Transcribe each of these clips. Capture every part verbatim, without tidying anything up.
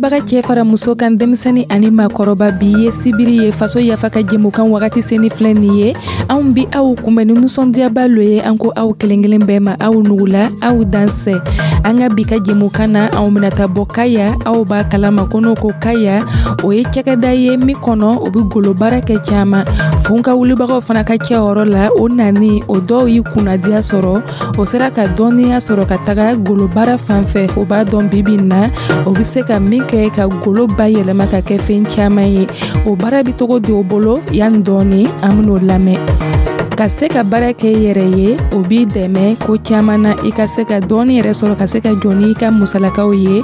Filɛbaga cɛ fara muso kan, denmisɛnnin ani maakɔrɔba, bi ye sibiri ye, faso yafa ka jɛmukan wagati seni filɛ nin ye. Anw bi aw kunbɛn ni nisɔndiyaba lo ye. An ko aw kelen kelen bɛɛ ma, aw nugula, aw dansɛ. An ka bi ka jɛmukan na, anw bɛna taa bɔ Kaya. Aw b'a kalama ko n'o ko Kaya, o ye cakɛda ye min kɔnɔ o bɛ golo baara kɛ caman. Funka wulibagaw fana ka cɛyɔrɔ la, o nani o dɔw y'i kunnadiya sɔrɔ, o sera ka dɔnniya sɔrɔ ka taga golo baara fan fɛ. O b'a dɔn bibi na o bɛ se ka min kɛ ka golo bayɛlɛma ka kɛ fɛn caman ye. O baara bɛ cogo di o bolo? Yanni dɔɔni, an ben'o lamɛn. Ka se ka baara kɛ i yɛrɛ ye, o b'i dɛmɛ ko caman na, i ka se ka dɔɔni yɛrɛ sɔrɔ ka se ka jɔ n'i ka musalakaw ye.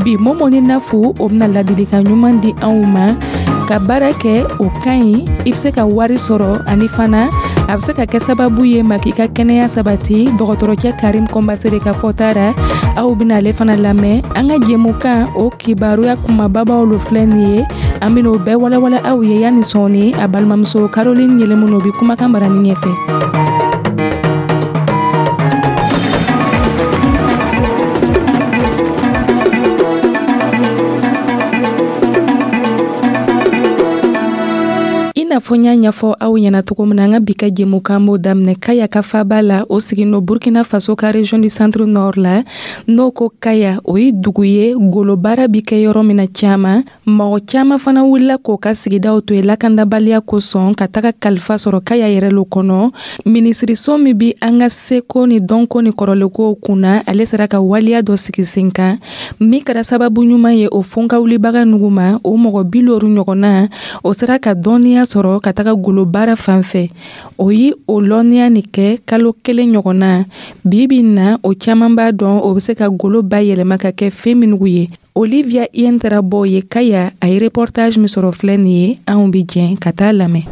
Bi, Mɔmɔni Nafu, o bɛna ladilikan ɲuman di anw ma. Ka baara kɛ, o ka ɲi, i bɛ se ka wari sɔrɔ, ani fana a bɛ se ka kɛ sababu ye ma k'i ka kɛnɛya sabati. Dɔgɔtɔrɔcɛ Karim Kɔnbasere ka fɔta ra, aw bɛna ale fana lamɛn. An ka jɛmukan o kibaruya kumababaw lo filɛ nin ye. An bɛna o bɛɛ walawala aw ye yanni sɔɔni. A balimamuso Caroline Yɛlɛmunu bɛ kumakan marani ɲɛfɛ. I n'a fɔ n y'a ɲɛfɔ aw ɲɛna cogo min na, an ka bi ka jɛmukan b'o daminɛ Kaya ka faba la. O sigin Burkina Faso ka région du Centre Nord la. N'o ko Kaya, o ye dugu ye golo baara bi kɛ yɔrɔ min na caman. Mɔgɔ caman fana wulila k'o ka sigidaw to yen lakandabaliya kosɔn, ka taga kalifa sɔrɔ Kaya yɛrɛ lo kɔnɔ. Minisiriso min bi an ka seko ni dɔnko ni kɔrɔlenkow kunna, ale sera ka waleya dɔ sigi sen kan min kɛra sababu ɲuman ye o fonka wulibaga nugu ma. O mɔgɔ bi loru ɲɔgɔnna, o sera ka dɔnniya sɔrɔ ka taga golo baara fan fɛ. O ye o lɔnniya nin kɛ kalo kelen ɲɔgɔnna. Bi bi na, o caman b'a dɔn o bɛ se ka golo bayɛlɛma ka kɛ fɛn minnu ye. Olivia Yen taara bɔ ye Kaya, a ye reportage min sɔrɔ filɛ nin ye. Anw bɛ jɛn ka taa lamɛn.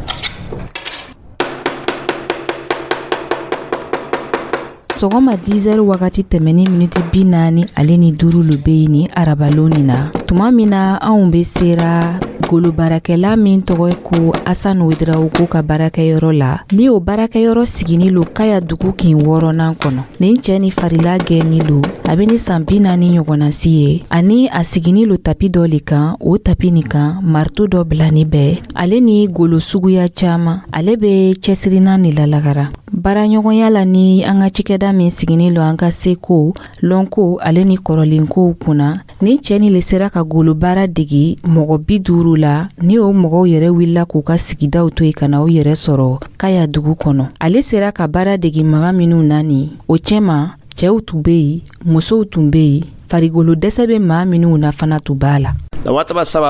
Sɔgɔma dix heures wagati tɛmɛni miniti bi naani ale ni duuru lo be yen ni arabalon nin na, tuma min na anw be sera golo baarakɛla min tɔgɔ ko Asan Wedrawoko ka baarakɛyɔrɔ la, ni o baarakɛyɔrɔ sigini lo Kaya dugu kin wɔɔrɔnan kɔnɔ. Nin cɛɛ ni farila gɛnni lo, a be ni san bi naani ɲɔgɔnna si ye, ani a sigini lo tapi dɔ le kan. O tapi nin kan, marito dɔ bilani bɛɛ ale ni golo suguya caaman. Ale be cɛsirinan ni lalagara baaraɲɔgɔnya la ni an ka cikɛda min sigini lo an ka seko, lɔnko ale ni kɔrɔlenkow kunna. Ni cɛɛ ni le sera ka golo baara degi mɔgɔ bi duuru la, ni o mɔgɔw yɛrɛ wulila k'u ka sigidaw to yen ka na u yɛrɛ sɔrɔ Kaya dugu kɔnɔ. Ale sera ka baara degi maga minw na nin o cɛma, cɛw tun be yen, musow tun be yen, farigolo dɛsɛ bɛ maa minw na fana tun b'a la. Minisiriso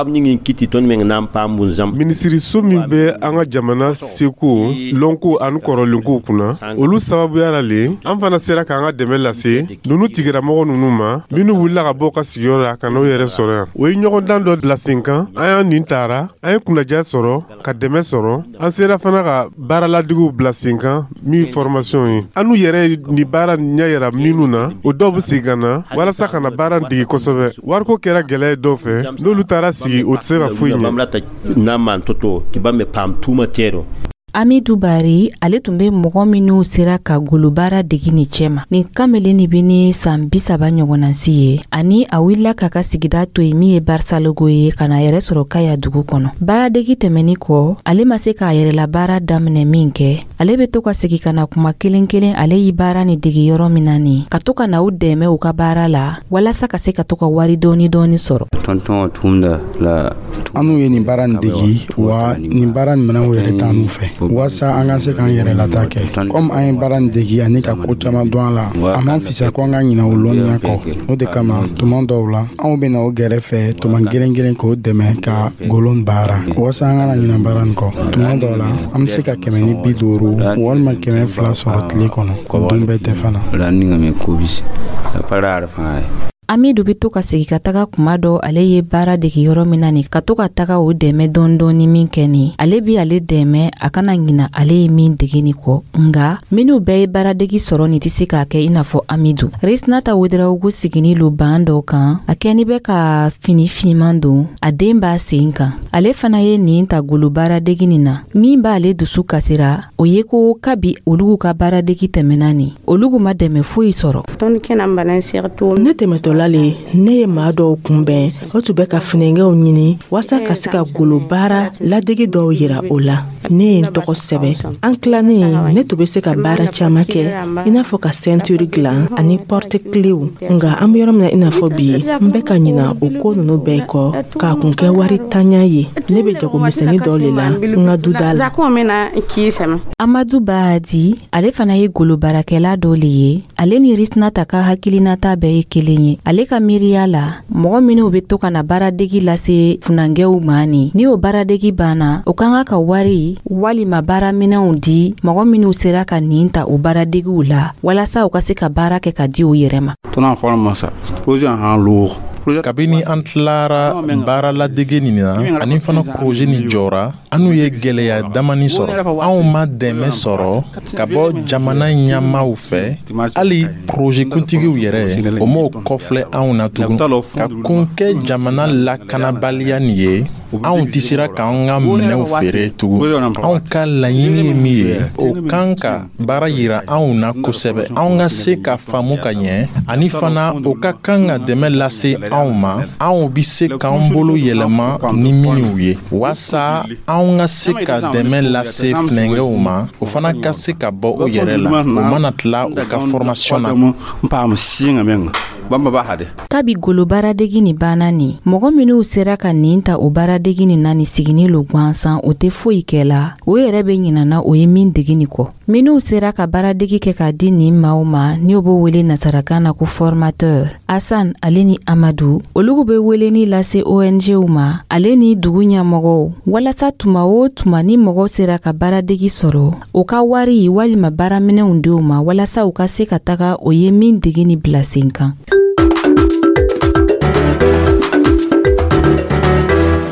min bɛ an ka jamana seko, lɔnko ani kɔrɔlenkow kunna, olu sababuya la le an fana sera k'an ka dɛmɛ lase ninnu tigilamɔgɔ ninnu ma, minnu wulila ka bɔ ka sigiyɔrɔ la ka n'o yɛrɛ sɔrɔ yan. O ye ɲɔgɔndan dɔ bila sen kan. An y'an nin taara, an ye kunnaja sɔrɔ, ka dɛmɛ sɔrɔ. An sera fana ka baaraladigiw bila sen kan min ye formation ye. An n'u yɛrɛ ye nin baara ɲɛ yira minnu na, o dɔw bɛ segin ka na walasa ka na baara dege kosɛbɛ. Wariko kɛra gɛlɛya ye dɔw fɛ, n'olu taara sigi, o tɛ se ka foyi ɲɛ. Amidu Bari, ale tun bɛ mɔgɔ minw sera ka golobaara degi nin cɛma. Nin kamalen nin bɛ ni san bi saba ɲɔgɔnna si ye, ani a wulila k'a ka sigida to yen min ye Barisalogo ye, ka na yɛrɛ sɔrɔ Kaya dugu kɔnɔ. Baaradegi tɛmɛni kɔ, ale ma se k'a yɛrɛla baara daminɛ min kɛ, ale bɛ to ka segin ka na kuma kelen kelen ale y'i baara ni degi yɔrɔ min na nin, ka to ka na u dɛmɛ u ka baara la walasa ka se ka to ka wari dɔɔni dɔɔni sɔrɔ. An ye nin baara nin degi wa, nin baara nin minɛnw yɛrɛ t'an fɛ waasa an ka se k'an yɛrɛ lata kɛ. Komi an ye baara nin degi ani ka ko caman dɔn a la, a man fisa ko an ka ɲinɛ o lɔnniya kɔ. O de kama, tuma dɔw la, anw bɛ na o gɛrɛfɛ tuma kelen kelen k'o dɛmɛ ka golon baara waasa an kana ɲinɛ baara nin kɔ. Tuma dɔw la, an bɛ se ka kɛmɛ ni bi duuru walima kɛmɛ fila sɔrɔ tile kɔnɔ, dun bɛɛ tɛ fana. Amidu bɛ to ka segin ka taga kuma dɔ ale ye baara degi yɔrɔ min na nin, ka to ka taga o dɛmɛ dɔɔni dɔɔni min kɛ nin, ale bi ale dɛmɛ a kana ɲina ale ye min degi nin kɔ. Nga minnu bɛɛ ye baaradegi sɔrɔ nin tɛ se k'a kɛ i n'a fɔ Amidu. Resinata Wedrawugu sigini lo ban dɔ kan, a kɛni bɛ ka fini finman don, a den b'a sen kan. Ale fana ye nin ta golo baaradegi nin na. Min b'ale dusu kasira, o ye ko kabi olugu ka baaradegi tɛmɛna nin, olugu ma dɛmɛ foyi sɔrɔ. Ne tɛmɛtɔla la le, ne ye maa dɔw kunbɛn, o tun bɛ ka funɛnkɛw ɲini waasa ka se ka golo baara ladege dɔw yira o la. Ne ye n tɔgɔ sɛbɛ. An tilannen, ne tun bɛ se ka baara caman kɛ, i n'a fɔ ka ceinture dilan ani porte-clés. Nka an bɛ yɔrɔ min na i n'a fɔ bi, n bɛ ka ɲina o ko ninnu bɛɛ kɔ k'a kun kɛ wari tanya ye. Ne bɛ jagomisɛnnin dɔ le la n ka duda la. Amadu Bahadi, ale fana ye golo baarakɛla dɔ le ye. Ale ni Risinata ka hakilinata bɛɛ ye kelen ye. Ale ka miiriya la, mɔgɔ minw be to ka na baaradegi lase funankɛw ma, ni ni o baaradegi banna, o ka kan ka wari walima baaraminɛw di mɔgɔ minw sera ka nin ta o baaradegiw la, walasa u ka se ka baara kɛ ka di u yɛrɛ ma. Kabini an tilara baaraladege nin na ani fana projet nin jɔra, anw ye gwɛlɛya damani sɔrɔ. Anw ma dɛmɛ sɔrɔ ka bɔ jamana ɲɛmaw fɛ. Hali projet kuntigiw yɛrɛ, o m'o kɔfilɛ anw na tugun. Ka kun kɛ jamana lakanabaliya nin ye, anw tɛ sera k'an ka minɛnw feere tugun. Anw ka laɲini ye min ye, o kan ka baara yira anw na kosɛbɛ, anw ka se ka faamu ka ɲɛ. Ani fana, o ka kan ka dɛmɛ lase anw ma, anw bi se k'an bolo yɛlɛma ni minnu ye, waasa anw ka se ka dɛmɛ lase funɛnkɛw ma, o fana ka se ka bɔ u yɛrɛ la, u mana tila u ka formation na. Kabi golo baaradegi nin banna nin, mɔgɔ minw sera ka nin ta o baaradegi nin na ni sigini lo gansan, o tɛ foyi kɛ la, o yɛrɛ bɛ ɲinana o ye min degi nin kɔ. Minw sera ka baaradegi kɛ k'a di nin maaw ma, n'o b'o wele nasarakan na ko formateur, Asan ale ni Amadu, olugu be weleni lase O N Gw ma, ale ni dugu ɲɛmɔgɔw, walasa tuma o tuma ni mɔgɔw sera ka baaradegi sɔrɔ, o ka wari walima baaraminɛw denw ma, walasa u ka se ka taga o ye min degi ni bila sen kan.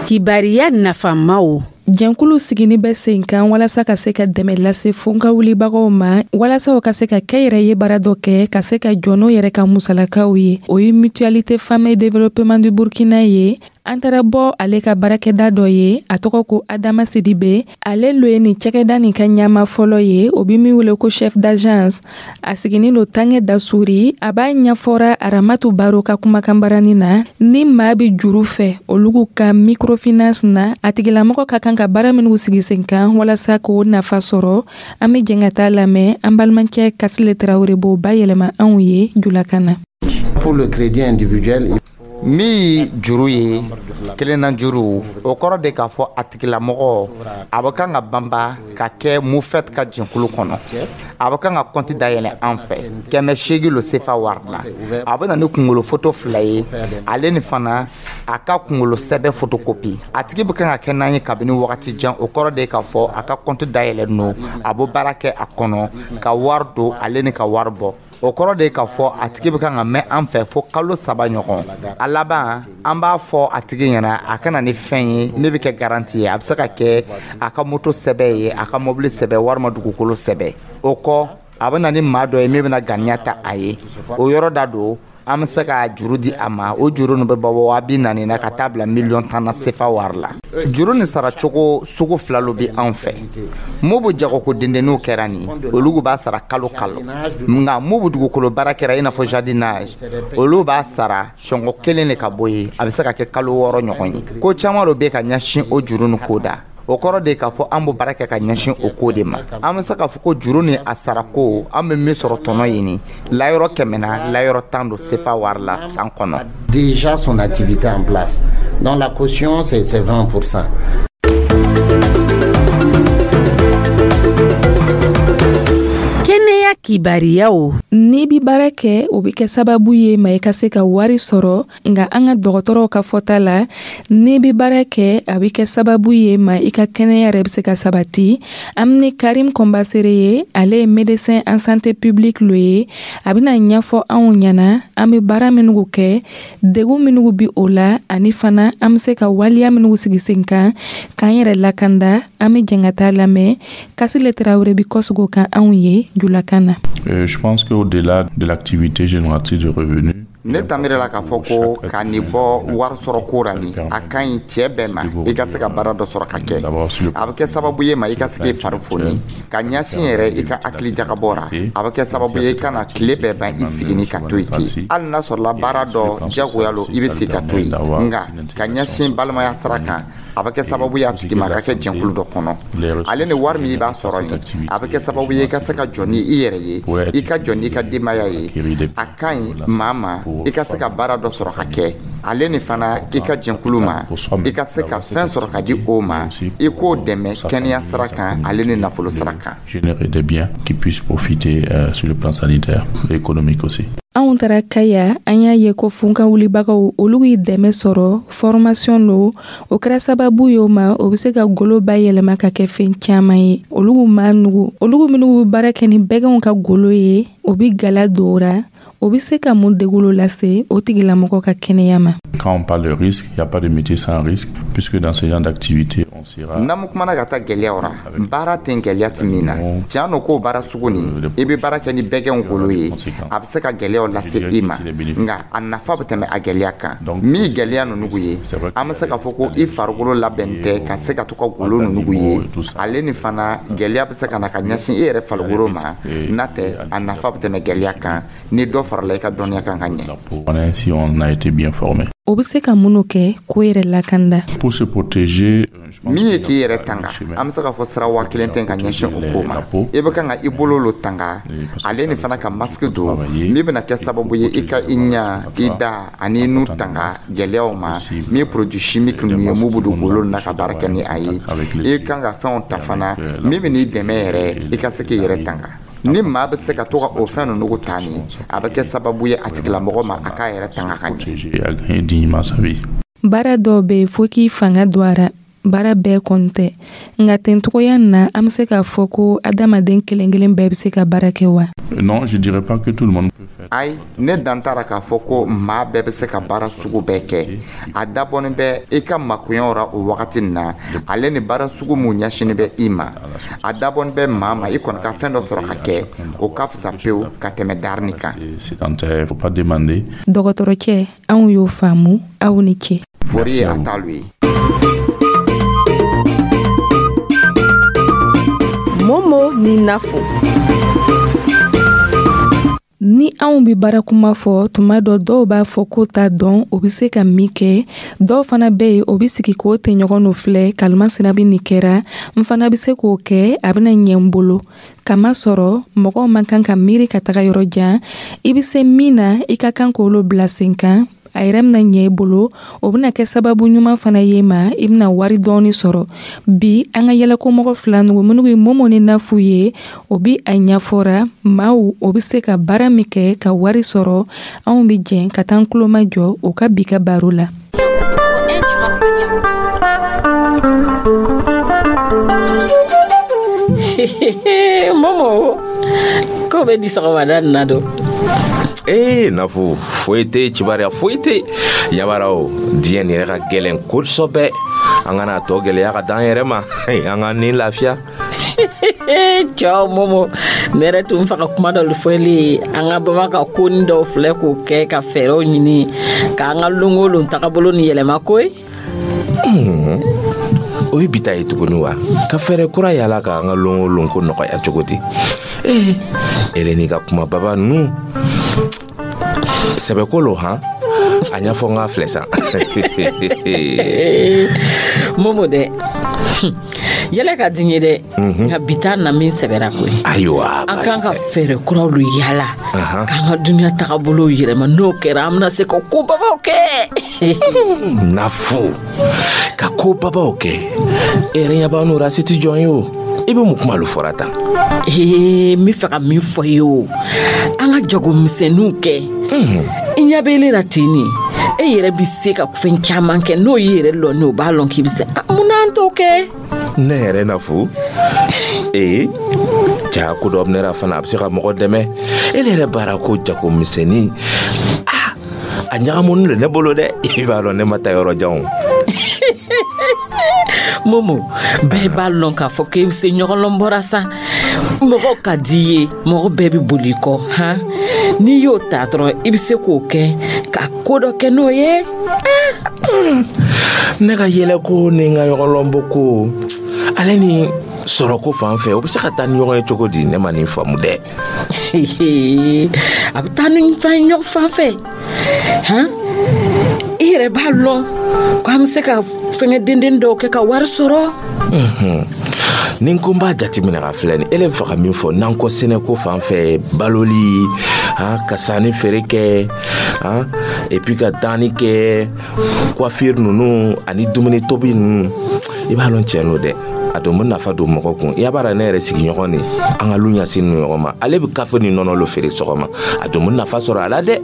Kibariya nafamaw. Jɛnkulu sigini bɛ sen kan walasa ka se ka dɛmɛ lase fonka wulibagaw ma, walasa u ka se ka kɛ yɛrɛ ye baara dɔ kɛ, ka se ka jɔ n'o yɛrɛ ka musalakaw ye. O ye Mutualité Femmes et Développement du Burkina ye. An taara bɔ ale ka baarakɛda dɔ ye, a tɔgɔ ko Adama Sidibe. Ale lo ye nin cakɛda nin ka ɲama fɔlɔ ye, o bi min wele ko chef d'agence. A siginin lo Tangɛ Dasuri. A b'a ɲɛfɔra Aramatu Baro ka kumakan barani na. Ni maa bi juru fɛ olugu ka microfinance na, a tigilamɔgɔ ka kan ka baara minnu sigi sen kan walasa k'o nafa sɔrɔ. An be jɛn ka taa lamɛn. An balimakɛ Kasile Tarawele b'o bayɛlɛma anw ye julakan na. Pour le crédit individuel, min juru ye kelenna juru, o kɔrɔ de k'a fɔ a tigilamɔgɔ a bɛ kan ka banba ka kɛ MUFFET ka jɛnkulu kɔnɔ, a bɛ kan ka kɔnti dayɛlɛ an fɛ, kɛmɛ seegin lo sefa wari la. A bɛ na ni kunkolo foto fila ye, ale ni fana a ka kunkolo sɛbɛ photocopie. A tigi bɛ kan ka kɛ n'an ye kabini wagati jan, o kɔrɔ de k'a fɔ a ka kɔnti dayɛlɛ no, a bɛ baara kɛ a kɔnɔ ka wari don, ale ni ka wari bɔ. O kɔrɔ de k'a fɔ a tigi bɛ kan ka mɛn an fɛ fo kalo saba ɲɔgɔn. A laban, an b'a fɔ a tigi ɲɛna a ka na ni fɛn ye ne bɛ kɛ garantie ye. A bɛ se ka kɛ a ka moto sɛbɛ ye, a ka mobili sɛbɛ, walima dugukolo sɛbɛ. O kɔ, a bɛ na ni maa dɔ ye min bɛna ganiya ta a ye. O yɔrɔ da don, an bɛ se ka juru di a ma. O juru nin bɛ bɔ waa bi naani na ka taa bila miliyɔn tan na sefa wari la. Juru nin saracogo sugu fila lo bɛ anw fɛ. Mun bɛ jagoko dendenninw kɛra nin, olu b'a sara kalo kalo. Nka mun bɛ dugukolo baara kɛra, i n'a fɔ jardinage, olu b'a sara sɔngɔ kelen de ka bɔ yen, a bɛ se ka kɛ kalo wɔɔrɔ ɲɔgɔn ye. Ko caman dɔ bɛ ka ɲɛsin o juru nin ko da. O kɔrɔ de k'a fɔ an b'o baara kɛ ka ɲɛsin o ko de ma. An bɛ se k'a fɔ ko juru ni a sarako, an bɛ min sɔrɔ tɔnɔ ɲini, layɔrɔ kɛmɛ na, layɔrɔ tan don sefa wari la san kɔnɔ. Déjà son activité en place. Donc la caution, c'est vingt pour cent. Kɛnɛya kibariyaw. N'i bi baara kɛ, o bɛ kɛ sababu ye ma i ka se ka wari sɔrɔ. Nka an ka dɔgɔtɔrɔw ka fɔta la, n'i bi baara kɛ, a bɛ kɛ sababu ye ma i ka kɛnɛya yɛrɛ bɛ se ka sabati. An ni Karim Kɔnbasere ye, ale ye médecin en santé publique lo ye. A bɛna ɲɛfɔ anw ɲɛna an bɛ baara minnu kɛ, degun minnu bi o la, ani fana an bɛ se ka waliya minnu sigi sen kan k'an yɛrɛ lakanda. An bɛ jɛn ka taa lamɛn. Kasile Tarawele bi kɔsigi kan anw ye julakan na. Euh, je pense qu'au-delà de l'activité génératrice de revenus, Ne ta miiri la k'a fɔ ko ka nin bɔ wari sɔrɔ ko ra nin, a ka ɲi cɛɛ bɛɛ ma i ka se ka baara dɔ sɔrɔ ka kɛ. A bɛ kɛ sababu ye ma i ka se k'i fari foni ka ɲɛsin yɛrɛ i ka hakili jagabɔ ra. A bɛ kɛ sababu ye i kana tile bɛɛ ban i sigini ka to yen ten. Hali n'a sɔrɔla baara dɔ jagoya lo, i bɛ se ka to yen, nka ka ɲɛsin balimaya sira kan, a bɛ kɛ sababu ye a tigi ma a ka kɛ jɛnkulu dɔ kɔnɔ. Ale ni wari min i b'a sɔrɔ nin, a bɛ kɛ sababu ye i ka se ka jɔ ni i yɛrɛ ye, i ka jɔ n'i ka denbaya ye. A ka ɲi maa ma i ka se ka baara dɔ sɔrɔ ka kɛ. Ale ni fana, i ka jɛnkulu ma, i ka se ka fɛn sɔrɔ ka di o ma, i k'o dɛmɛ kɛnɛya sira kan, ale ni nafolo sira kan. Générer des biens qui puissent profiter euh, sur le plan sanitaire et économique aussi. Anw taara Kaya, an y'a ye ko funkan wulibagaw, olu ye dɛmɛ sɔrɔ, formation lo. O kɛra sababu ye o ma, o be se ka golo bayɛlɛma ka kɛ fɛn caaman ye. Olugu ma nugu, olugu minnu be baara kɛ ni bɛgɛnw ka golo ye, o bi gala dora, o be se ka mun degulo lase o tigilamɔgɔ ka kɛnɛya ma? Quand on parle de risque, il n'y a pas de métier sans risque, puisque dans ce genre d'activité, on sera N'an mu kumana ka taa gwɛlɛyaw ra, baara tɛ gwɛlɛya ti min na. Tiɲɛ no k'o baara sugu nin, i bɛ baara kɛ ni bɛgɛnw golo ye, a bɛ se ka gwɛlɛyaw lase i ma, nka a nafa bɛ tɛmɛ a gwɛlɛya kan. Min gwɛlɛya ninnu ye, an bɛ se k'a fɔ ko i farikolo labɛn tɛ ka se ka to ka golo ninnu ye. Ale ni fana, gwɛlɛya bɛ se ka na ka ɲɛsin i yɛrɛ farikolo ma. N'a tɛ, a nafa bɛ tɛmɛ gwɛlɛya kan ni dɔ farala i ka dɔnniya kan ka ɲɛ. Si on a été bien formé. O be se ka minnu kɛ k'o yɛrɛ lakanda? Pour se protéger, Min ye k'i yɛrɛ tanga, an bɛ se k'a fɔ sira waa kelen tɛ ka ɲɛsin o ko ma. I bɛ kan ka i bolo lo tanga, ale ni fana ka masque don, min bɛna kɛ sababu ye i ka i ɲa, i da ani i nu tanga gɛlɛyaw ma. Min produit chimique ninnu ye, mun bɛ don golo na ka baara kɛ ni a ye. I kan ka fɛnw ta fana min bɛ n'i dɛmɛ yɛrɛ i ka se k'i yɛrɛ tanga. Ni maa bɛ se ka to ka o fɛn ninnu ta nin, a bɛ kɛ sababu ye a tigilamɔgɔ ma a k'a yɛrɛ tanga ka ɲɛ. Dignement sa vie. Baara dɔw be yen, fo k'i fanga don a ra. Baara bɛɛ kɔni tɛ, nka tencogoya na, an be se k'a fɔ ko adamaden kelen kelen bɛɛ be se ka baara kɛ wa? Non, je dirais pas que tout le monde peut faire. Ayi, ne dan t'a k'a fɔ ko maa bɛɛ bɛ se ka baara sugu bɛɛ kɛ. A dabɔnin bɛ i ka makoɲɛw ra o wagati nin na, ale ni baara sugu mun ɲɛsinin bɛ i ma. A dabɔnin bɛ maa ma, i kɔni ka fɛn dɔ sɔrɔ ka kɛ, o ka fisa pewu ka tɛmɛ darini kan. Sédentaire, faut pas demander. Dɔgɔtɔrɔcɛ, anw y'o faamu. Aw ni ce. Fori ye a t'alu ye. Momo ni Nafo. Ni anw be baara kuma fɔ tuma dɔ, dɔw b'a fɔ ko t'a dɔn o be se ka min kɛ. Dɔw fana be yen, o be sigi k'o tɛɲɔgɔn no filɛ, kalimasina be nin kɛra, n fana be se k'o kɛ, a bena ɲɛ n bolo. Kama sɔrɔ mɔgɔw man kan ka miiri ka taga yɔrɔ jan. I be se min na, i ka kan k'olu bila sen kan, a yɛrɛ bɛna ɲɛ i bolo. O bɛna kɛ sababu ɲuman fana ye ma, i bɛna wari dɔɔni sɔrɔ. Bi, an ka yɛlɛkomɔgɔ fila nugu minnu ye Momo ni Nafu ye, o bi a ɲɛfɔra maaw o bɛ se ka baara min kɛ ka wari sɔrɔ. Anw bɛ jɛn ka taa an tuloma jɔ o ka bi ka baro la. Momo, ko bɛ di sɔgɔmada nin na don? Ee Nafu, foyi tɛ, kibaruya foyi tɛ yabara. O diɲɛ nin yɛrɛ ka gɛlɛn kosɛbɛ. An kana tɔ gɛlɛya ka d'an yɛrɛ ma, an ka ni lafiya. Cɛw, Momo, ne yɛrɛ tun fa ka kuma dɔ fɔli ye. An ka bama ka koni dɔw filɛ k'o kɛ ka fɛɛrɛw ɲini k'an ka lon o lon tagabolo ni yɛlɛma koyi. O ye bita ye tuguni wa? Ka fɛɛrɛ kura yala k'an ka lon o lon ko nɔgɔya cogo di? Ee, ele n'i ka kuma baba ninnu, sɛbɛko lo han. A ɲɛfɔ n k'a filɛ san. Momo dɛ, yɛlɛ ka di n ye dɛ, nka bi taa na min sɛbɛra koyi. Ayiwa. An kan ka fɛɛrɛ kuraw lo yala k'an ka duniya tagabolow yɛlɛma. N'o kɛra, an bɛna se ka ko babaw kɛ. Nafo, ka ko babaw kɛ, e yɛrɛ ɲɛ b'an n'o ra, se ti jɔn ye. O i bɛ mun kuma lo fɔra tan? Ee, n bɛ fɛ ka min fɔ i ye, o an ka jagomisɛnninw kɛ. I ɲɛ bɛ ele la ten nin, e yɛrɛ bɛ se ka fɛn caman kɛ. N'o y'i yɛrɛ lɔn, o b'a lɔn k'i bɛ se. Mun n'an t'o kɛ? Ne yɛrɛ Nafo, ee ja ko dɔ bɛ ne la fana, a bɛ se ka mɔgɔ dɛmɛ. E yɛrɛ baara ko jagomisɛnnin, ah, a ɲagamuni don ne bolo dɛ. I b'a dɔn ne ma taa yɔrɔ jan o. Momo, bɛɛ b'a lɔn k'a fɔ k'e bɛ se ɲɔgɔnlɔn bɔra sa. Mɔgɔ ka di i ye, mɔgɔ bɛɛ bɛ boli i kɔ han. N'i y'o ta dɔrɔn, i bɛ se k'o kɛ ka ko dɔ kɛ n'o ye. Ne ka yɛlɛko ni n ka ɲɔgɔnlɔnbɔ ko ale ni sɔrɔko fan fɛ, o bɛ se ka taa ni ɲɔgɔn ye cogo di? Ne ma nin faamu dɛ. A bɛ taa ni fɛn ɲɔgɔn fan fɛ han. I yɛrɛ b'a lɔn ko an bɛ se ka fɛngɛ denden dɔw kɛ ka wari sɔrɔ. Ni n ko n b'a jateminɛ ka filɛ nin, ele bɛ fɛ ka min fɔ nankɔ sɛnɛko fan fɛ, baloli han, ka sanni feere kɛ han, et puis ka danni kɛ, coiffure ninnu ani dumuni tobi ninnu, i b'a lɔn tiɲɛ don dɛ, a don bɛ nafa don mɔgɔ kun. I b'a dɔn, ne yɛrɛ sigiɲɔgɔn de, an ka lu ɲɛsin ninnu ɲɔgɔn ma, ale bɛ kafe ni nɔnɔ lo feere sɔgɔma, a don bɛ nafa sɔrɔ a la dɛ.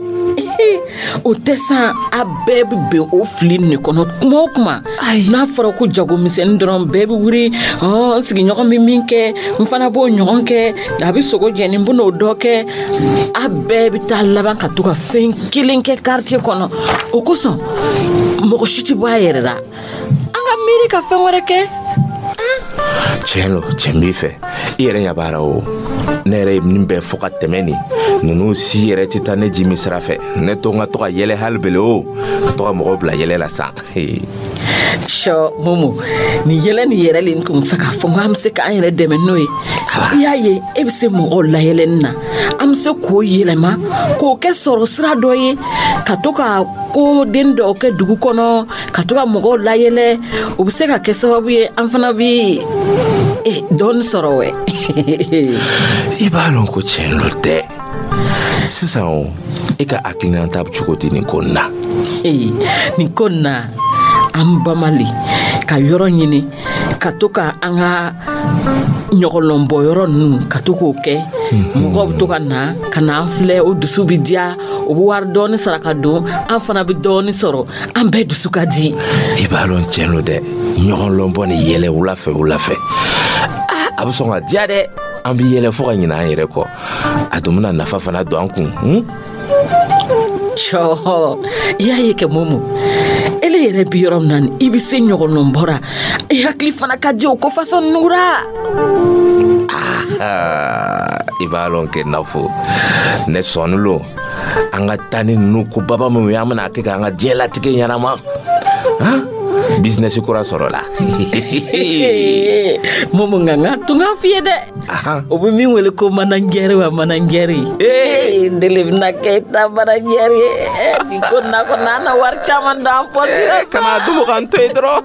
O tɛ san, a bɛɛ bɛ bɛn o fili nin kɔnɔ kuma o kuma. N'a fɔra ko jagomisɛnnin dɔrɔn, bɛɛ bɛ wuli, n sigiɲɔgɔn bɛ min kɛ, n fana b'o ɲɔgɔn kɛ, a bɛ sogo jɛni, n bɛn'o dɔ kɛ. A bɛɛ bɛ taa laban ka to ka fɛn kelen kɛ quartier kɔnɔ. O kosɔn mɔgɔ si tɛ bɔ a yɛrɛ la. An ka miiri ka fɛn wɛrɛ kɛ. Tiɲɛ lo, tiɲɛ b'i fɛ. I yɛrɛ ɲɛ b'a la o, ne yɛrɛ ye nin bɛɛ fɔ ka tɛmɛ nin ninnu si yɛrɛ tɛ taa ne ji min sira fɛ. Ne to n ka to ka yɛlɛ hali bele o, ka to ka mɔgɔw bila yɛlɛ la san. Sɔ Momo, nin yɛlɛ nin yɛrɛ le n kun fɛ k'a fɔ n ko an bɛ se k'an yɛrɛ dɛmɛ n'o ye. I y'a ye, e bɛ se mɔgɔw layɛlɛnni na, an bɛ se k'o yɛlɛma k'o kɛ sɔrɔ sira dɔ ye, ka to ka ko den dɔw kɛ dugu kɔnɔ, ka to ka mɔgɔw layɛlɛ. O bɛ se ka kɛ sababu ye an fana bɛ dɔɔni sɔrɔ wɛ. I b'a lɔn ko tiɲɛ lo dɛ. Sisan o, e ka hakilinata bɛ cogo di nin ko nin na? Nin ko nin na, an bamali ka yɔrɔ ɲini ka to ka an ka ɲɔgɔlɔnbɔ yɔrɔ ninnu, ka to k'o kɛ, mɔgɔw bɛ to ka na ka na an filɛ, o dusu bɛ diya, o bɛ wari dɔɔni sara ka don, an fana bɛ dɔɔni sɔrɔ, an bɛɛ dusu ka di. I b'a lɔn tiɲɛ lo dɛ, ɲɔgɔnlɔnbɔ ni yɛlɛ wula fɛ wula fɛ, a bɛ sɔn ka diya dɛ. An bɛ yɛlɛ fo ka ɲinɛ an yɛrɛ kɔ, a dun bɛna nafa fana don an kun. Cɔ, i y'a ye kɛ Momo, ele yɛrɛ bi yɔrɔ min na nin, i bɛ se ɲɔgɔnlɔn bɔra, i hakili fana ka di o ko fasɔn nugura. I b'a lɔn kɛ nafo ne sɔnni lo, an ka taa ni ninnu ko baba minnu ye, an bɛna kɛ k'an ka diɲɛlatigɛ ɲɛnama han, bizinɛsi kura sɔrɔ la. Momo, nka n ka tun k'a f'i ye dɛ, o bɛ min wele ko manajɛri wa manajɛri, ne de bɛna kɛ i ta manajɛri ye. Nin ko nin na kɔni, an na wari caman d'an pɔsi la sa. Kana dugu k'an to yen dɔrɔn.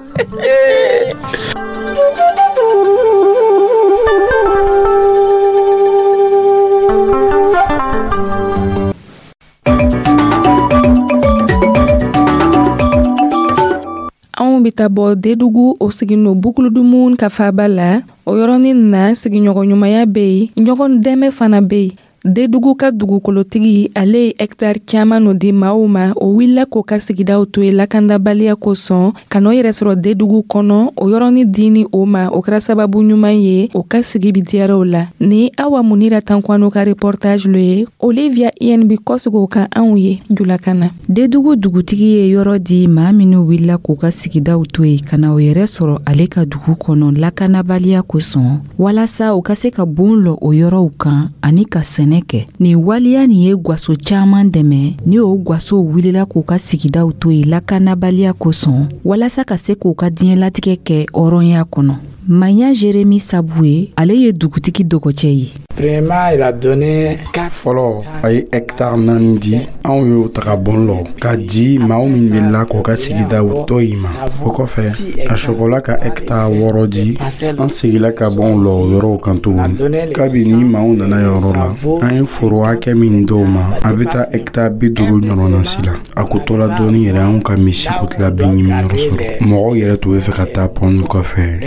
Anw bɛ taa bɔ Dedugu, o sigin Bukuludumu ka faaba la. O yɔrɔnin na, sigiɲɔgɔnɲumanya bɛ yen, ɲɔgɔn dɛmɛ fana bɛ yen. Dedugu ka dugukolotigi, ale ye hɛkitari caman no di maaw ma, o wulila k'o ka sigidaw to yen lakandabaliya kosɔn, ka n'o yɛrɛ sɔrɔ Dedugu kɔnɔ. O yɔrɔnin dini o ma, o kɛra sababu ɲuman ye, o ka sigi bi diyara o la. Ni Awa Munira Tankwano ka reportage lo ye, Olivia I N B kɔsigi o kan anw ye julakan na. Dedugu dugutigi ye yɔrɔ di maa minnu wulila k'u ka sigidaw to yen ka na o yɛrɛ sɔrɔ ale ka dugu kɔnɔ lakanabaliya kosɔn, walasa u ka se ka bon lɔ o yɔrɔw kan ani ka sɛnɛ kɛ. Nin waleya nin ye gwaso caman dɛmɛ, ni o gwasow wulila k'u ka sigidaw to yen lakanabaliya kosɔn, walasa ka se k'u ka diɲɛlatigɛ kɛ hɔrɔnya kɔnɔ. Maya Jeremi Sabu ye, ale ye dugutigi dɔgɔcɛ ye. Fɔlɔ, a ye hɛkitari naani di, anw y'o taga bɔn lɔ ka di maaw min wulila k'o ka sigidaw to yen ma. O kɔfɛ, a sɔgɔla ka hɛkitari wɔɔrɔ di, an segila ka bɔn lɔ o yɔrɔw kan tugun. Kabini maaw nana yɔrɔ la, an ye foro hakɛ min d'o ma, a bɛ taa hɛkitari bi duuru ɲɔgɔnna si la. A ko tola dɔɔni yɛrɛ, anw ka misi ko tila bin ɲimi yɔrɔ sɔrɔ. Mɔgɔw yɛrɛ tun bɛ fɛ ka taa pɔn kɔfɛ,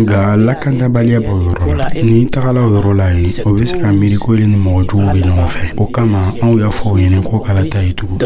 nka lakandabaliya b'o yɔrɔ la. N'i tagala o yɔrɔ la yen, o bɛ se ka miiri ko ni mɔgɔ jugu bɛ ɲɔgɔn fɛ. O kama, anw y'a fɔ o ɲɛna ko kala taa yen tugun.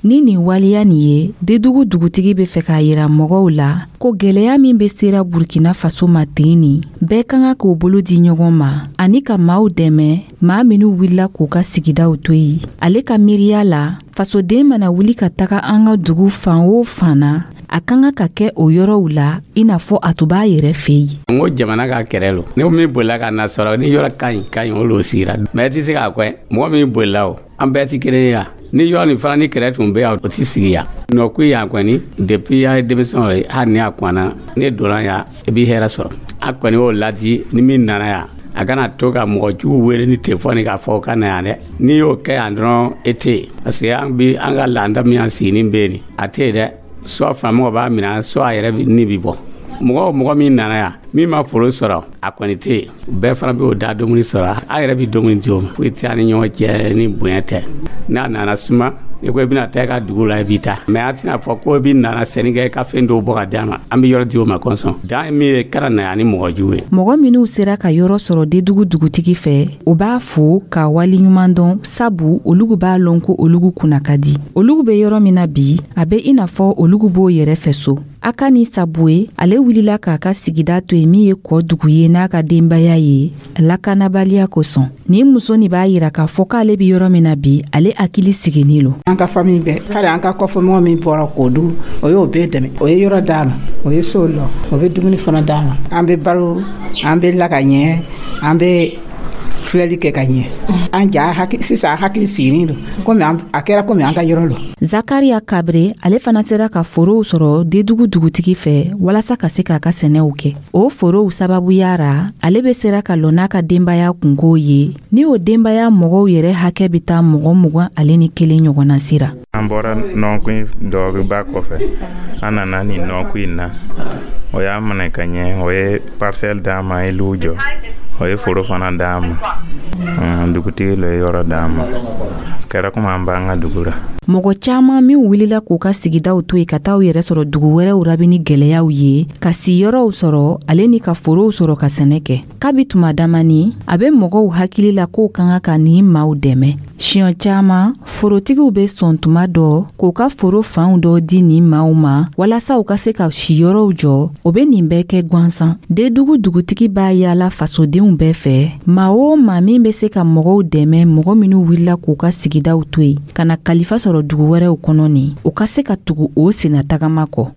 Ni nin waleya nin ye, Dedugu dugutigi bɛ fɛ k'a yira mɔgɔw la ko gwɛlɛya min bɛ sera Burkina Faso ma ten nin, bɛɛ ka kan k'o bolo di ɲɔgɔn ma ani ka maaw dɛmɛ, maa minnu wulila k'u ka sigidaw to yen. Ale ka miiriya la, fasoden mana wuli ka taga an ka dugu fan o fan na, A ka kan ka kɛ o yɔrɔw la i n'a fɔ a tun b'a yɛrɛ fɛ yen. N ko jamana ka kɛlɛ lo, ni min bolila ka na sɔrɔ ni yɔrɔ ka ɲi ka ɲi, o l'o sigira, mais i tɛ se k'a kɛ mɔgɔ min bolila, o an bɛɛ tɛ kelen ye yan. Ni yɔrɔ nin fana ni kɛlɛ tun bɛ yan, o tɛ sigi yan nɔ ko yan kɔni. Depuis a ye denmisɛnw ye, hali ni a kɔnna ne donna yan, i b'i hɛrɛ sɔrɔ. A kɔni y'o ladi, ni min nana yan, a kana to ka mɔgɔ jugu wele ni telefɔni k'a fɔ o ka na yan dɛ. N'i y'o kɛ yan dɔrɔn, e tɛ yen, parce que an bi an ka laada min y'an siginin bɛ yen, a tɛ yen dɛ. Soit faamaw b'a minɛ, soit a yɛrɛ ni bi bɔ. Mɔgɔ o mɔgɔ min nana yan, min ma foro sɔrɔ, a kɔni tɛ yen. Bɛɛ fana b'o da dumuni sɔrɔ, a yɛrɛ bɛ dumuni di o ma. Foyi tɛ an ni ɲɔgɔn cɛ ni bonya tɛ. N'a nana suma, i ko i bɛna taa i ka dugu la, i b'i ta, mais an tɛna fɔ ko i bɛ nana sɛnɛ kɛ ka fɛn dɔw bɔ ka d'a ma. An bɛ yɔrɔ di o ma kɔsɔn dan ye min ye, kana na yan ni mɔgɔ jugu ye. Mɔgɔ minnu sera ka yɔrɔ sɔrɔ Dedugu dugutigi fɛ, o b'a fo ka waleɲuman dɔn, sabu olugu b'a lɔn ko olugu kunna ka di. Olugu bɛ yɔrɔ min na bi, a bɛ i n'a fɔ olugu b'o yɛrɛ fɛ so. A ka ni Sabuye, ale wulila k'a ka sigida to yen min ye kɔ dugu ye n'a ka denbaya ye, lakanabaliya kosɔn. Nin muso nin b'a yira k'a fɔ k'ale bɛ yɔrɔ min na bi, ale hakili sigilen lo. An ka famille bɛɛ, hali an ka kɔfɛmɔgɔ min bɔra k'o du, o y'o bɛɛ dɛmɛ. O ye yɔrɔ d'a ma, o ye so lɔ, o bɛ dumuni fana d'a ma. An bɛ balo, an bɛ la ka ɲɛ, an bɛ filɛli kɛ ka ɲɛ. An ja sisan hakili sigilen don, komi a kɛra komi an ka yɔrɔ lo. Zakaria Kabre, ale fana sera ka forow sɔrɔ Dedugu dugutigi fɛ walasa ka se k'a ka sɛnɛw kɛ. O forow sababuya ra, ale bɛ sera ka lɔ n'a ka denbaya kunko ye, ni o denbaya mɔgɔw yɛrɛ hakɛ bɛ taa mɔgɔ mugan ale ni kelen ɲɔgɔnna sira. An bɔra nɔnkun dɔgɔba kɔfɛ, an nana nin nɔnkun in na, o y'a minɛ ka ɲɛ, o ye parcelle d'an ma, an ye luw jɔ, o ye foro fana d'an ma. Dugutigi le ye yɔrɔ d'an ma, kɛra komi an b'an ka dugu la. Mɔgɔ caman min wulila k'u ka sigidaw to yen ka taa u yɛrɛ sɔrɔ dugu wɛrɛw ra ni gɛlɛyaw ye, ka siyɔrɔw sɔrɔ ale ni ka forow sɔrɔ ka sɛnɛ kɛ. Kabi tuma damani, a bɛ mɔgɔw hakili la k'o ka kan ka nin maaw dɛmɛ. Siɲɛ caman, forotigiw bɛ sɔn tuma dɔ k'u ka foro fanw dɔ di nin maaw ma walasa u ka se ka siyɔrɔw jɔ. O bɛ nin bɛɛ kɛ gansan. Dedugu dugutigi b'a yaala fasodenw bɛɛ fɛ, maa o maa min bɛ se ka mɔgɔw dɛmɛ, mɔgɔ minnu wulila k'u ka sigidaw to yen ka na kalifa sɔrɔ dugu wɛrɛw kɔnɔ nin, u ka se ka tugu o senna tagama kɔ.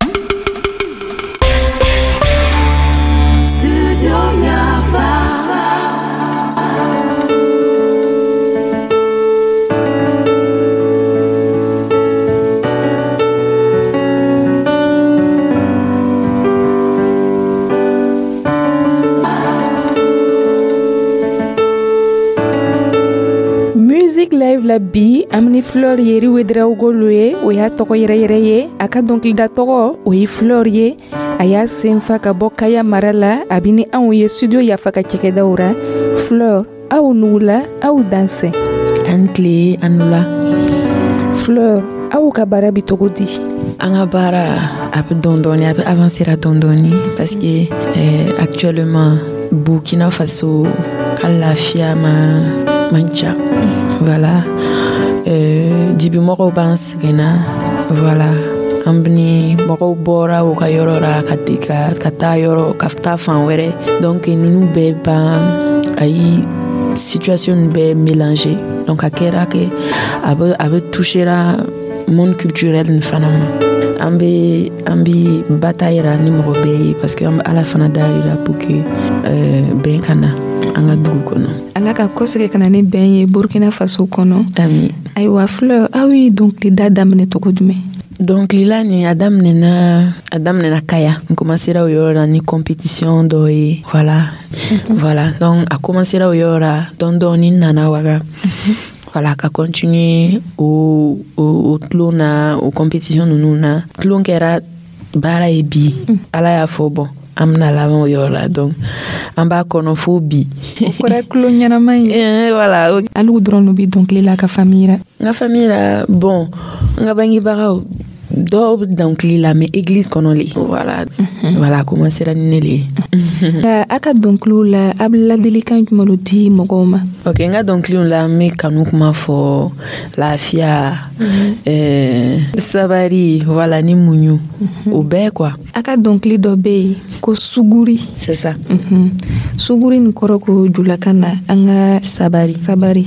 Musique live la bi, an ni Fleur Yeri Ouedraogo lo ye, o y'a tɔgɔ yɛrɛ yɛrɛ ye. A ka dɔnkilida tɔgɔ o ye Fleur ye. A y'a senfa ka bɔ Kaya mara la, a bɛ ni anw ye studio Yafa ka cakɛdaw ra. Fleur, aw nugula, aw dansɛ. An tile, an nula. Fleur, aw ka baara bi cogo di? An ka baara a bɛ dɔɔni dɔɔni, a bɛ avancer dɔɔni dɔɔni, parce que eh, actuellement Burkina Faso ka lafiya ma man ca. Voilà, euh, dibimɔgɔw b'an sɛgɛnna. Voilà, an ni mɔgɔw bɔra u ka yɔrɔ la ka ka ka taa yɔrɔ ka taa fan wɛrɛ. Donc ninnu bɛɛ ban, a ye situation ninnu bɛɛ mélanger. Donc a kɛra kɛ a bɛ a bɛ touchera monde culturel nin fana ma. An bɛ an bɛ bataille ra ni mɔgɔ bɛɛ ye, parce que an bɛ Ala fana dari la pour que euh, bɛn ka na an ka dugu kɔnɔ. Ala ka kɔsegin ka na ni bɛn ye Burkina Faso kɔnɔ. Ami. Ayiwa Fleur, aw ye dɔnkilida daminɛ cogo jumɛn? Dɔnkilila nin, a daminɛna a daminɛna Kaya. N commencera o yɔrɔ la ni compétition dɔ ye. Voilà, voilà, donc a commencera o yɔrɔ la, dɔɔni dɔɔni n nana waga. Voilà, ka continuer o o o tulon na, o compétition ninnu na. Tulon kɛra baara ye bi. Ala y'a fɔ bon, an bɛna laban o yɔrɔ la, donc an b'a kɔnɔ fo bi. O kɛra tulon ɲɛnama ye. Voilà. Alu dɔrɔn bɛ dɔnkili la ka famille la? N ka famille la, bon, n ka bangebagaw dɔw bɛ dɔnkili la, mais église kɔnɔ le. Voilà, voilà, a commencera ni ne le ye. A ka dɔnkiliw la, a bɛ ladilikan jumɛn di mɔgɔw ma? Ok, n ka dɔnkiliw la, n bɛ kanu kuma fɔ, lafiya, euh, sabari, voilà, ni muɲu, o bɛɛ quoi. A ka dɔnkili dɔ bɛ yen ko suguri. C'est ça. Suguri nin kɔrɔ ko julakan na an ka sabari. Sabari.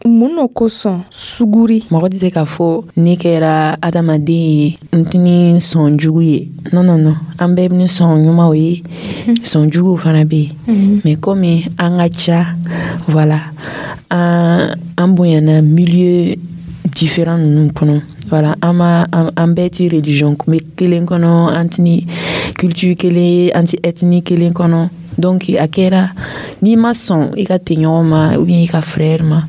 Mun no kosɔn suguri? Mɔgɔ tɛ se k'a fɔ ne kɛra adamaden ye, n tɛ ni sɔn jugu ye. Non, non, non, an bɛɛ ni sɔn ɲumanw ye, sɔn juguw fana bɛ yen, mais komi an ka ca, voilà, an an bonyana milieu différent ninnu kɔnɔ, voilà, an ma an bɛɛ ti religion kelen kɔnɔ, an ti ni culture kelen ye, an ti ethnie kelen kɔnɔ. Donc a kɛra n'i ma sɔn i ka tɛɲɔgɔn ma ou bien i ka frère ma,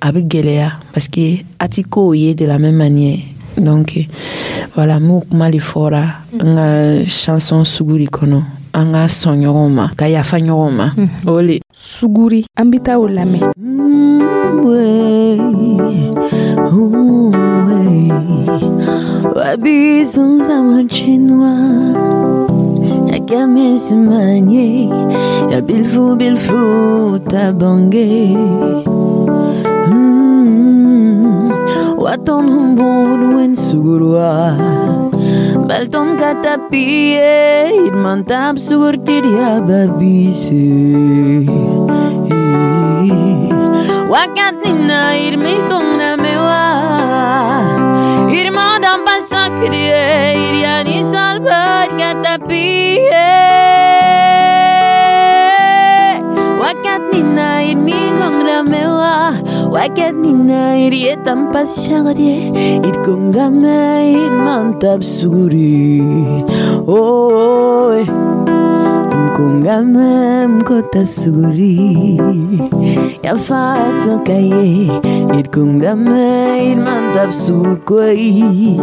a bɛ gɛlɛya parce que a ti kow ye de la même manière. Donc voilà, m'o kuma de fɔra n ka chanson Suguri kɔnɔ, an ka sɔn ɲɔgɔn ma, ka yafa ɲɔgɔn ma, o le. Suguri, an bɛ taa o lamɛn. Yakamesmanye ya bilfu bilfu tabange waton humbun wen sugurwa balton katapie irmantab sugurtiria babise wakatina irmistona mewa irmadam pasakrie iriani salvar katapie wakatnina irmigongramewa wakatnina irietan pasagrie irkongrame irmantab suguri oh mkongame mkota suguri yafatokaye irkongame irmantab surkoi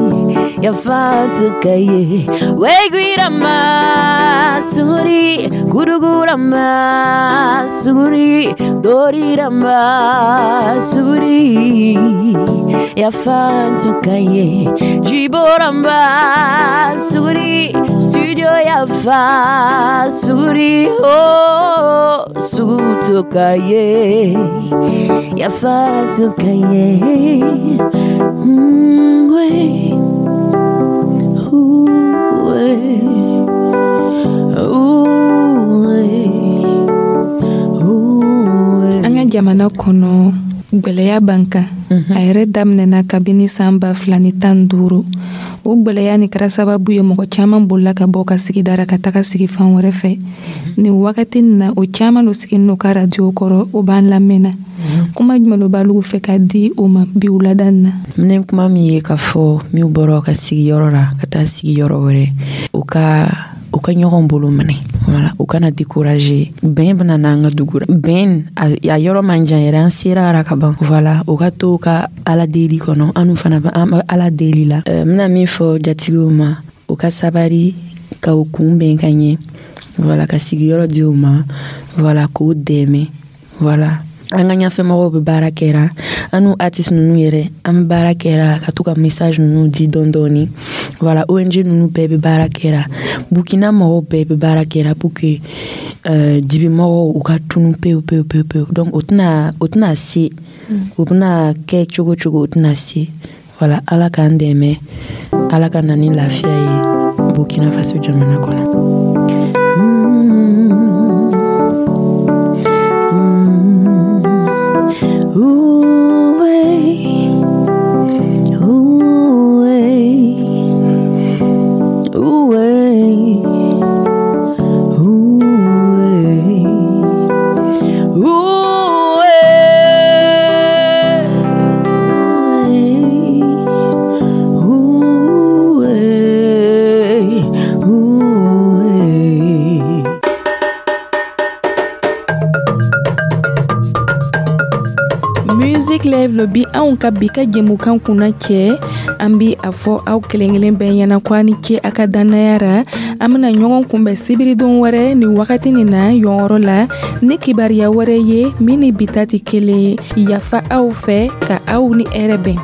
yafatokaye weguirama suguri gurugurama suguri dorirama suguri yafatokaye jiboramba suguri studio yafa suguri oh sugutokaye yafatokaye mm, we ooh, we An ka jamana kɔnɔ, gwɛlɛya b'an kan. A yɛrɛ daminɛna kabini san ba fila ni tan duuru. O gwɛlɛya nin kɛra sababu ye mɔgɔ caman bolila ka bɔ ka sigida ra ka taga sigi fan wɛrɛ fɛ. Nin wagati nin na, o caman lo siginin no ka radio kɔrɔ, o b'an lamɛnna. Kuma jumɛn lo b'alu fɛ ka di o ma bi wulada nin na? Ne kuma min ye k'a fɔ min bɔra ka sigiyɔrɔ la ka taa sigiyɔrɔ wɛrɛ, u ka u ka ɲɔgɔn bolo minɛ, voilà, u kana décourager. Bɛn bɛna n'an ka dugu la, bɛn a yɔrɔ man jan yɛrɛ, an sera ara ka ban. Voilà, u ka to ka Ala deli kɔnɔ, an fana bɛ an Ala deli la. N bɛna min fɔ jatigiw ma, u ka sabari ka u kunbɛn ka ɲɛ, voilà, ka sigiyɔrɔ di u ma, voilà, k'u dɛmɛ. Voilà, an ka ɲɛfɛmɔgɔw bɛ baara kɛra, an n'u artiste ninnu yɛrɛ, an bɛ baara kɛra ka to ka message ninnu di dɔɔni dɔɔni. Voilà, O N G ninnu bɛɛ bɛ baara kɛra, Burkina mɔgɔw bɛɛ bɛ baara kɛra pour que euh, dibimɔgɔw u ka tunu pewu pewu pewu pewu. Donc o tɛna o tɛna se, o bɛna kɛ cogo cogo, o tɛna se. Voilà, Ala k'an dɛmɛ, Ala ka na ni lafiya ye Burkina Faso jamana kɔnɔ. Ooh, ooh, ooh, ooh, ooh, ooh. Music Live lo bi anw ka bi ka jɛmukan kunna cɛ. An bi a fɔ aw kelen kelen bɛɛ ɲɛna ko a ni ce a ka dannaya ra. An bena ɲɔgɔn kunbɛn sibiridon wɛrɛ ni wagati nin na yɔrɔ la ni kibariya wɛrɛ ye min ni bi ta tɛ kelen ye. Yafa aw fɛ ka aw ni hɛrɛ bɛn.